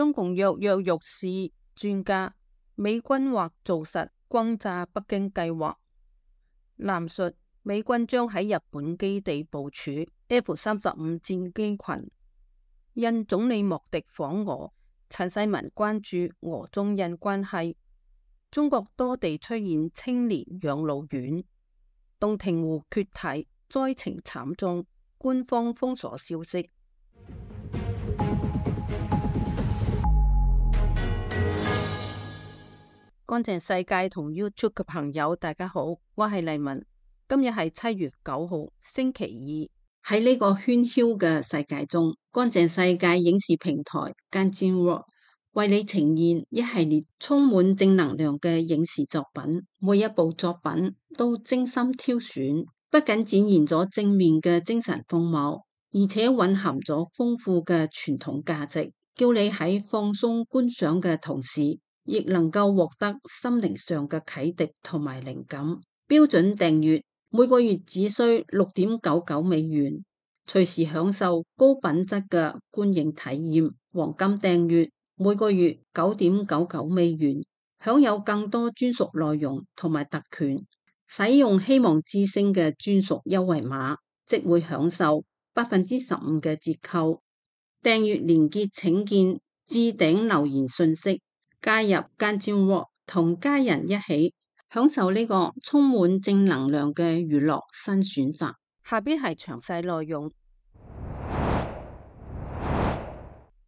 中共躍躍欲試專家，美軍或做實轟炸北京計劃。南述美軍將喺日本基地部署 F-35戰機群。印總理莫迪訪俄，陳世文關注俄中印關係。中國多地出現青年養老院。洞庭湖決堤，災情慘重，官方封鎖消息。乾淨世界同 YouTube 嘅朋友，大家好，我係麗文。今日係7月9號，星期二。喺呢個喧囂嘅世界中，乾淨世界影視平台 Ganjin 為你呈現一系列充滿正能量嘅影視作品，每一部作品都精心挑選，不僅展現咗正面嘅精神風貌，而且蘊含咗豐富嘅傳統價值，叫你喺放鬆觀賞嘅同時，亦能夠獲得心靈上嘅啟迪同埋靈感。標準訂閱每個月只需$6.99，隨時享受高品質嘅觀影體驗。黃金訂閱每個月$9.99，享有更多專屬內容同埋特權。使用希望之星嘅專屬優惠碼，即會享受15%嘅折扣。訂閱連結請見置頂留言信息。加入Ganjin同家人一起享受呢個充滿正能量嘅娛樂新選擇。下邊係詳細內容。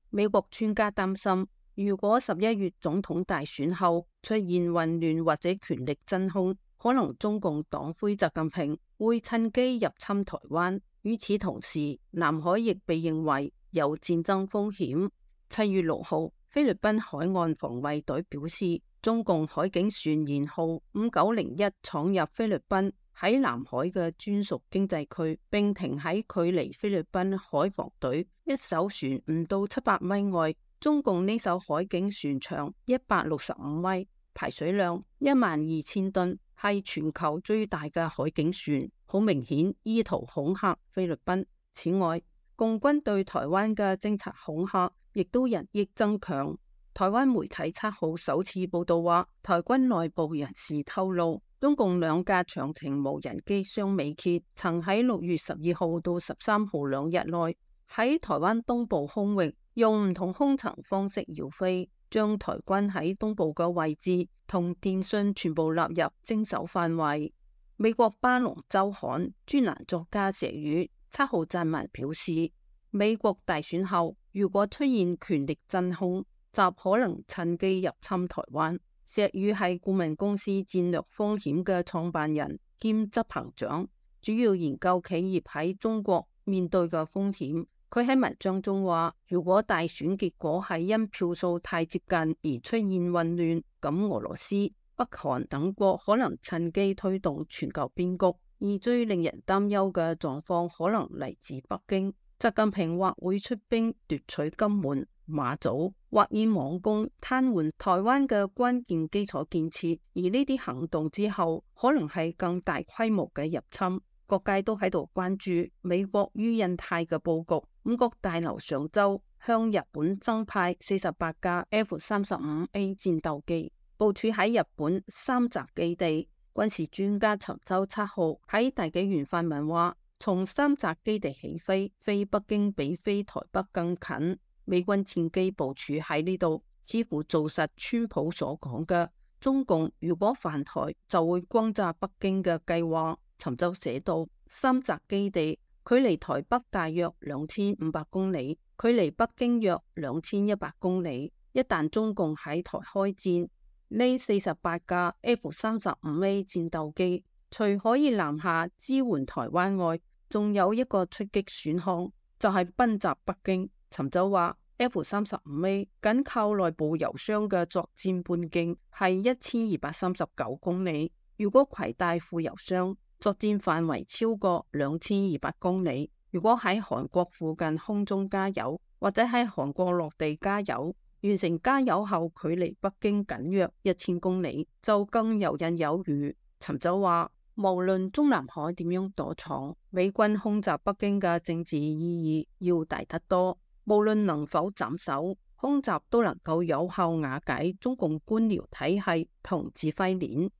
美國專家擔心，如果11月總統大選後出現混亂或者權力真空，可能中共黨魁習近平會趁機入侵台灣。與此同時，南海亦被認為有戰爭風險。7月6號，菲律賓海岸防衛隊表示，中共海警船舷號5901闖入菲律賓喺南海嘅專屬經濟區，並停喺距離菲律賓海防隊一艘船唔到700米外。中共呢艘海警船長165米，排水量12000噸，係全球最大嘅海警船，好明顯意圖恐嚇菲律賓。此外，共軍對台灣嘅偵察恐嚇亦都日益增強。台灣媒體7號首次報道話，台軍內部人士透露，中共2架長程無人機雙尾蠍曾喺6月12號到13號2日內喺台灣東部空域用唔同空層方式繞飛，將台軍喺東部嘅位置同電訊全部納入偵搜範圍。美國巴龍周刊專欄作家石宇7號撰文表示，美國大選後如果出現權力真空，習可能趁機入侵台灣。石宇係顧問公司戰略風險嘅創辦人兼執行長，主要研究企業喺中國面對嘅風險。佢喺文章中話，如果大選結果係因票數太接近而出現混亂，咁俄羅斯、北韓等國可能趁機推動全球變局。而最令人擔憂嘅狀況可能嚟自北京，習近平或會出兵奪取金門、馬祖，或以網攻癱瘓台灣嘅關鍵基礎建設。而呢啲行動之後，可能係更大規模嘅入侵。各界都喺度關注美國於印太嘅佈局。五角大樓上週向日本增派48架 F-35A 戰鬥機，部署喺日本三澤基地。軍事專家尋週7號喺大紀元發文話，從三澤基地起飛北京比飛台北更近。美軍戰機部署喺呢度，似乎做實川普所講嘅中共如果犯台就會轟炸北京嘅計劃。尋週寫到，三澤基地距離台北大約2500公里，距離北京約2100公里。一旦中共喺台開戰，呢48架 F-35A 戰鬥機除可以南下支援台灣外，仲有一個出擊選項，就係奔襲北京。尋週話 F-35A 僅靠內部油箱嘅作戰半徑係1239公里，如果攜帶副油箱，作戰範圍超過2200公里。如果喺韓國附近空中加油，或者喺韓國落地加油，完成加油後距離北京僅約1000公里，就更游刃有餘。尋週話，無論中南海點樣躲藏，美軍空襲北京嘅政治意義要大得多。無論能否斬首，空襲都能夠有效瓦解中共官僚體系同指揮鏈。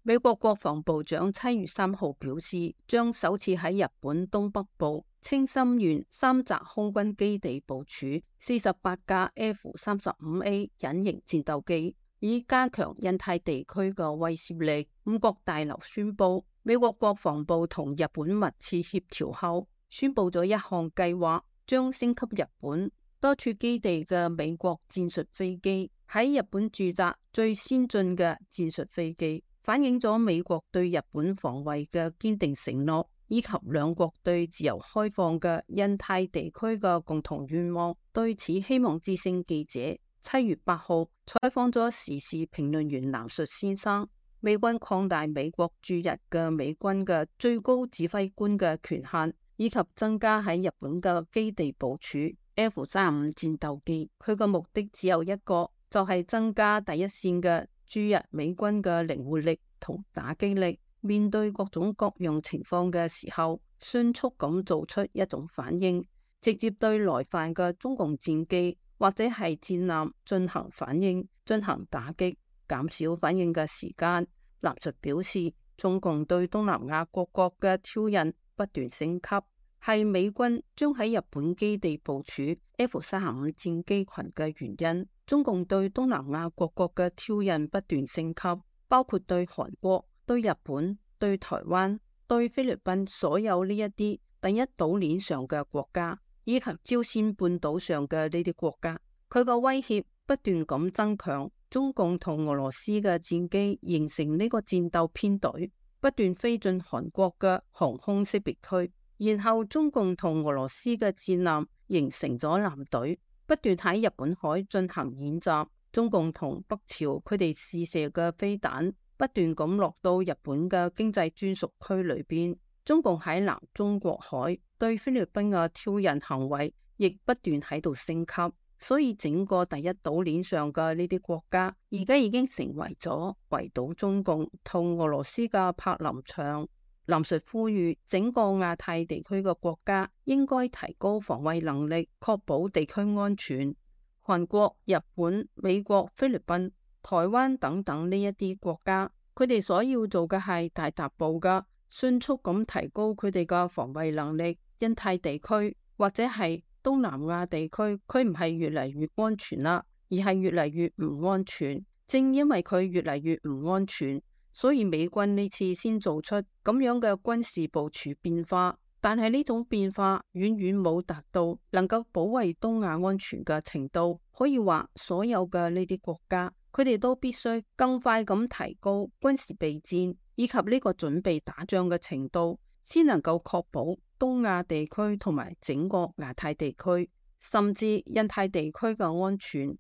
美國國防部長7月3號表示，將首次喺日本東北部青森縣三澤空軍基地部署48架 F-35A 隱形戰鬥機，以加強印太地區嘅威懾力。五角大樓宣布，美國國防部同日本密切協調後，宣布咗一項計劃，將升級日本多處基地嘅美國戰術飛機喺日本駐紮最先進嘅戰術飛機，反映咗美國對日本防衛嘅堅定承諾，以及兩國對自由開放嘅印太地區嘅共同願望。對此，希望之聲記者7月8號採訪咗時事評論員藍述先生。美軍擴大美國駐日嘅美軍嘅最高指揮官嘅權限，以及增加喺日本嘅基地部署 F-35戰鬥機，佢嘅目的只有一個，就係增加第一線嘅駐日美軍嘅靈活力同打擊力，面對各種各樣情況嘅時候，迅速咁做出一種反應，直接對來犯嘅中共戰機或者係戰艦進行反應，進行打擊，減少反應嘅時間。藍述表示，中共對東南亞各國嘅挑釁不斷升級，係美軍將喺日本基地部署 F-35戰機群嘅原因。中共對東南亞各國嘅挑釁不斷升級，包括對韓國、對日本、對台灣、對菲律賓所有呢一啲第一島鏈上嘅國家，以及朝鮮半島上嘅呢啲國家，佢個威脅不斷咁增強。中共同俄羅斯嘅戰機形成呢個戰鬥編隊，不斷飛進韓國嘅航空識別區，然後中共同俄羅斯嘅戰艦形成咗艦隊，不斷喺日本海進行演習。中共同北朝佢哋試射嘅飛彈不斷咁落到日本嘅經濟專屬區裏邊。中共喺南中國海對菲律賓嘅挑釁行為亦不斷喺度升級。所以整個第一島鏈上嘅呢啲國家，而家已經成為咗圍堵中共同俄羅斯嘅柏林牆。藍述呼籲整個亞太地區嘅國家應該提高防衛能力，確保地區安全。韓國、日本、美國、菲律賓、台灣等等呢一啲國家，佢哋所要做嘅係大踏步嘅，迅速咁提高佢哋嘅防衛能力。印太地區或者係東南亞地區，佢唔係越嚟越安全啦，而係越嚟越唔安全。正因為佢越嚟越唔安全，所以美軍呢次先做出咁樣嘅軍事部署變化。但係呢種變化遠遠冇達到能夠保衛東亞安全嘅程度。可以話，所有嘅呢啲國家，佢哋都必須更快咁提高軍事備戰以及呢個準備打仗嘅程度，先能夠確保東亞地區同埋整個亞太地區，甚至印太地區嘅安全。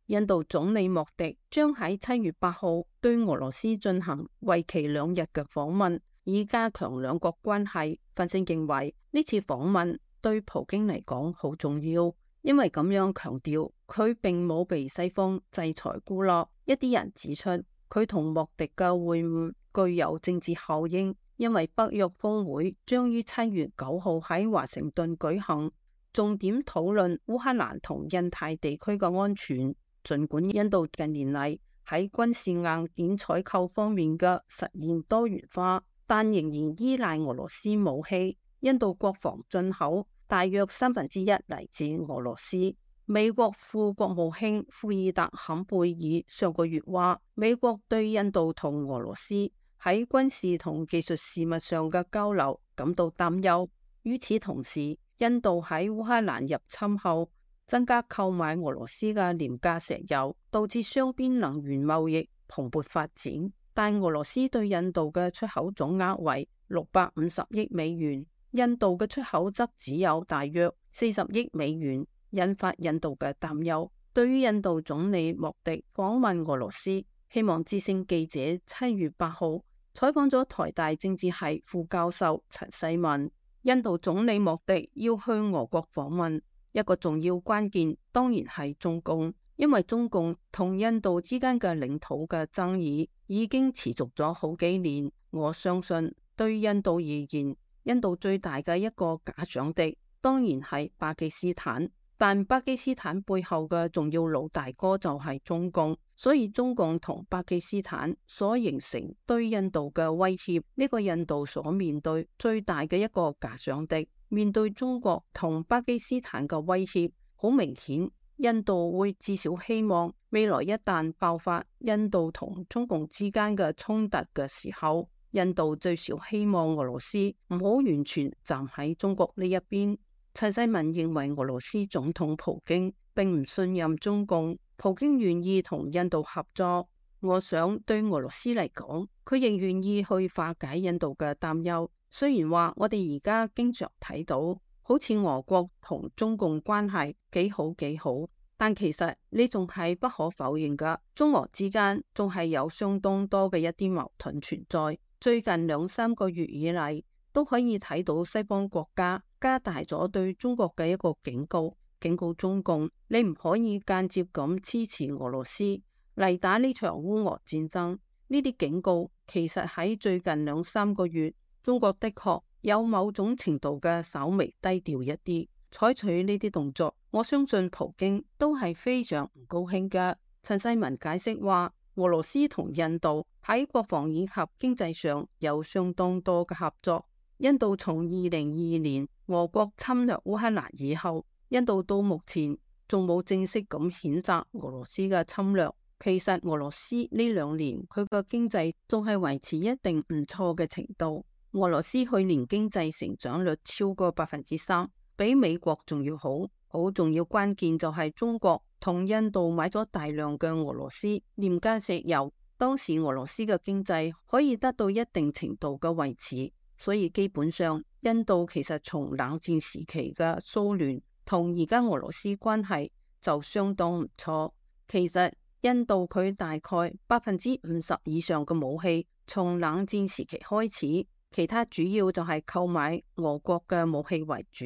印度總理莫迪將喺7月8號對俄羅斯進行為期2日嘅訪問，以加強兩國關係。分析認為呢次訪問對普京嚟講好重要，因為咁樣強調佢並冇被西方制裁孤立。一啲人指出，佢同莫迪嘅會晤具有政治效應，因為北約峰會將於7月9號喺華盛頓舉行，重點討論烏克蘭同印太地區嘅安全。儘管印度近年嚟喺軍事硬件採購方面嘅實現多元化，但仍然依賴俄羅斯武器。印度國防進口大約1/3嚟自俄羅斯。美國副國務卿庫爾特坎貝爾上個月話，美國對印度同俄羅斯喺軍事同技術事務上嘅交流感到擔憂。與此同時，印度喺烏克蘭入侵後增加購買俄羅斯嘅廉價石油，導致雙邊能源貿易蓬勃發展。但俄羅斯對印度嘅出口總額為650億美元，印度嘅出口則只有大約40億美元，引發印度嘅擔憂。對於印度總理莫迪訪問俄羅斯，希望之聲記者7月8號採訪咗台大政治系副教授陳世文。印度總理莫迪要去俄國訪問，一個重要關鍵當然係中共，因為中共同印度之間嘅領土嘅爭議已經持續咗好幾年。我相信對印度而言，印度最大嘅一個假想敵當然係巴基斯坦，但巴基斯坦背後嘅重要老大哥就係中共，所以中共同巴基斯坦所形成對印度嘅威脅，呢個印度所面對最大嘅一個假想敵。面對中國同巴基斯坦嘅威脅，好明顯，印度會至少希望未來一旦爆發印度同中共之間嘅衝突嘅時候，印度最少希望俄羅斯唔好完全站喺中國呢一邊。陳世民認為俄羅斯總統普京並唔信任中共，普京願意同印度合作。我想對俄羅斯嚟講，佢仍願意去化解印度嘅擔憂。雖然話我哋而家經常睇到好似俄國同中共關係幾好，但其實呢仲係不可否認㗎，中俄之間仲係有相當多嘅一啲矛盾存在。最近2-3個月以嚟，都可以睇到西方國家加大咗對中國嘅一個警告中共，你唔可以間接咁支持俄羅斯嚟打呢場烏俄戰爭。呢啲警告其實喺最近2-3個月，中國的確有某種程度嘅稍微低調一啲，採取呢啲動作，我相信普京都係非常唔高興㗎。陳世民解釋話，俄羅斯同印度喺國防以及經濟上有相當多嘅合作。印度從2022年俄國侵略烏克蘭以後，印度到目前仲冇正式咁譴責俄羅斯嘅侵略。其實俄羅斯呢2年佢個經濟仲係維持一定唔錯嘅程度。俄羅斯去年經濟成長率超過3%，比美國仲要好。好重要關鍵就係中國同印度買咗大量嘅俄羅斯廉價石油，當時俄羅斯嘅經濟可以得到一定程度嘅維持。所以基本上，印度其實從冷戰時期嘅蘇聯同而家俄羅斯關係就相當唔錯。其實印度佢大概50%以上嘅武器從冷戰時期開始，其他主要就係購買俄國嘅武器為主。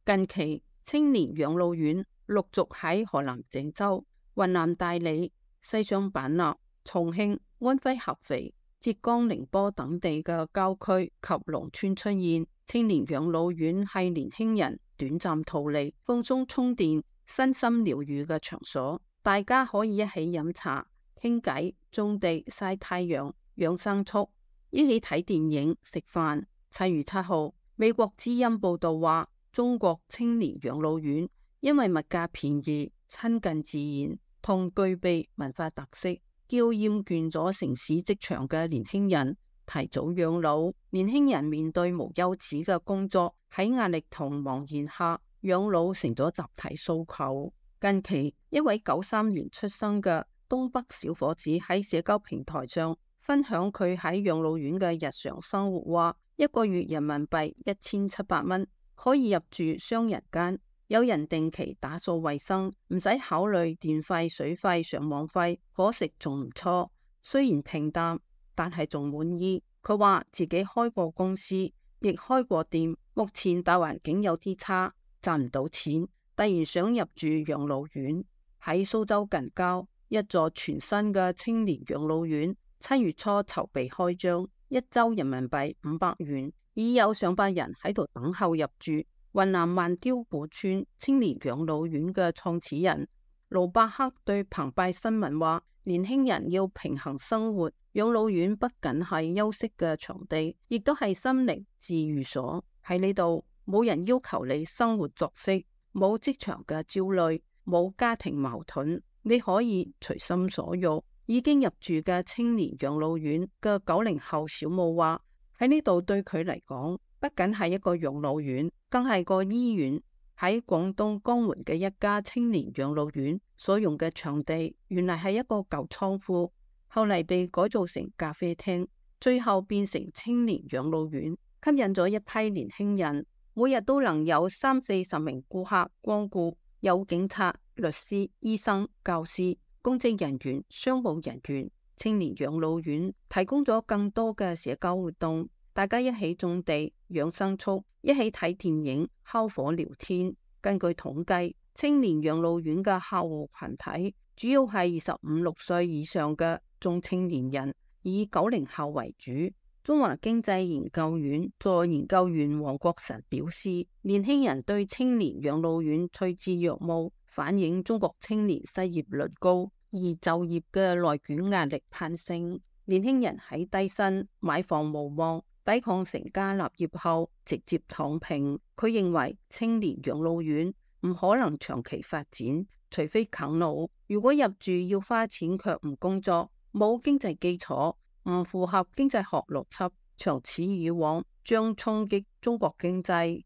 近期青年養老院陸續喺河南鄭州、雲南大理、西雙版納、重慶、安徽合肥、浙江寧波等地嘅郊區及農村出現。青年養老院係年輕人短暫逃離、放鬆充電、身心療癒嘅場所，大家可以一起飲茶、傾偈、種地、曬太陽、養牲畜，一起睇電影、食飯。7月7號，美國之音報道話，中國青年養老院因為物價便宜、親近自然同具備文化特色，叫厭倦咗城市職場嘅年輕人提早養老。年輕人面對無休止嘅工作，喺壓力同茫然下，養老成咗集體訴求。近期一位93年出生嘅東北小伙子喺社交平台上分享佢喺養老院嘅日常生活，話1個月人民幣1700蚊可以入住雙人間，有人定期打掃衛生，唔使考慮電費、水費、上網費，伙食仲唔錯，雖然平淡，但係仲滿意。佢話自己開過公司，亦開過店，目前大環境有啲差，賺唔到錢，突然想入住養老院。喺蘇州近郊一座全新嘅青年養老院，7月初籌備開張，1周人民幣500元，已有上百人喺度等候入住。雲南萬雕古村青年養老院嘅創始人盧伯克對澎湃新聞話，年輕人要平衡生活，養老院不僅係休息嘅場地，亦都係心靈治癒所。喺呢度冇人要求你生活作息，冇職場嘅焦慮，冇家庭矛盾，你可以隨心所欲。已經入住嘅青年養老院嘅90後小武話，喺呢度對佢嚟講，不僅係一個養老院，更係個醫院。喺廣東江門嘅一家青年養老院所用嘅場地，原來係一個舊倉庫，後嚟被改造成咖啡廳，最後變成青年養老院，吸引咗一批年輕人。每日都能有30-40名顧客光顧，有警察、律師、醫生、教師、公職人員、商務人員。青年養老院提供咗更多嘅社交活動，大家一起種地、養牲畜，一起睇電影、烤火聊天。根據統計，青年養老院嘅客戶群體主要係25-26歲以上嘅中青年人，以90後為主。中華經濟研究院助研究員黃國臣表示，年輕人對青年養老院趨之若鶩，反映中國青年失業率高，而就業嘅內捲壓力攀升。年輕人喺低薪、買房無望、抵抗成家立業後直接躺平。佢認為青年養老院唔可能長期發展，除非啃老。如果入住要花錢卻唔工作，冇經濟基礎，唔符合經濟學邏輯，長此以往將衝擊中國經濟。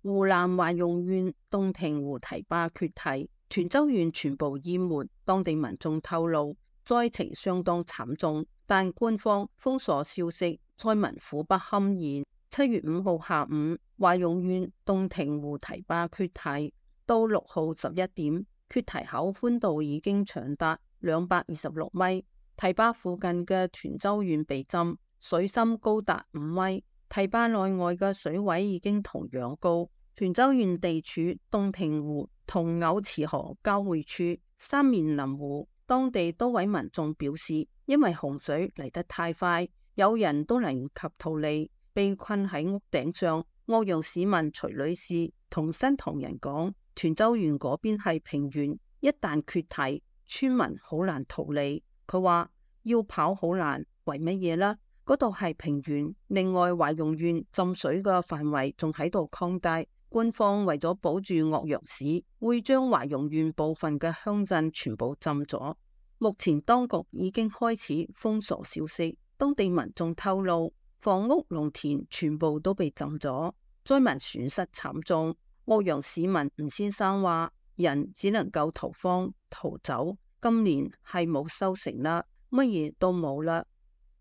湖南懷庸縣洞庭湖堤壩決堤，泉州縣全部淹沒。當地民眾透露，災情相當慘重，但官方封鎖消息，災民苦不堪言。7月5號下午，懷庸縣洞庭湖堤壩決堤，到6號11點，決堤口寬度已經長達226米。堤壩附近嘅泉州縣被浸，水深高達5米。堤壩內外嘅水位已經同樣高。泉州縣地處洞庭湖同甌池河交匯處，三面臨湖。當地多位民眾表示，因為洪水嚟得太快，有人都嚟唔及逃離，被困喺屋頂上。岳陽市民徐女士同新唐人講，泉州縣嗰邊係平原，一旦決堤，村民好難逃離。佢話要跑好難，為乜嘢呢？嗰度係平原，另外懷庸縣浸水嘅範圍仲喺度擴大。官方為咗保住岳陽市，會將懷庸縣部分嘅鄉鎮全部浸咗。目前當局已經開始封鎖消息。當地民眾透露，房屋農田全部都被浸咗，災民損失慘重。岳陽市民吳先生話，人只能夠逃荒逃走，今年係冇收成啦，乜嘢都冇啦。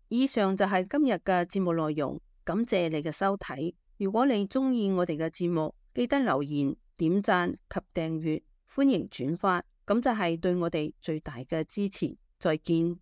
以上就係今日嘅節目內容，感謝你嘅收睇。如果你鍾意我哋嘅節目，記得留言、點讚及訂閱，歡迎轉發，咁就係對我哋最大嘅支持。再見。